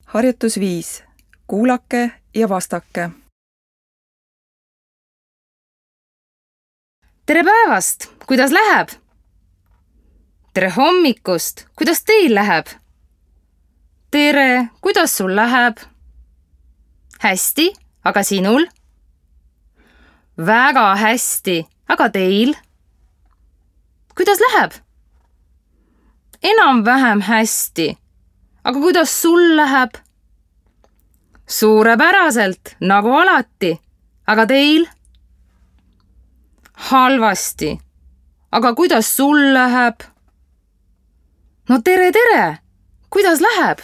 Harjutus 5. Kuulake ja vastake. Tere päevast! Kuidas läheb? Tere hommikust! Kuidas teil läheb? Tere! Kuidas sul läheb? Hästi, aga sinul? Väga hästi, aga teil? Kuidas läheb? Enam-vähem hästi. Aga kuidas sul läheb? Suurepäraselt, nagu alati. Aga teil? Halvasti. Aga kuidas sul läheb? No tere! Kuidas läheb?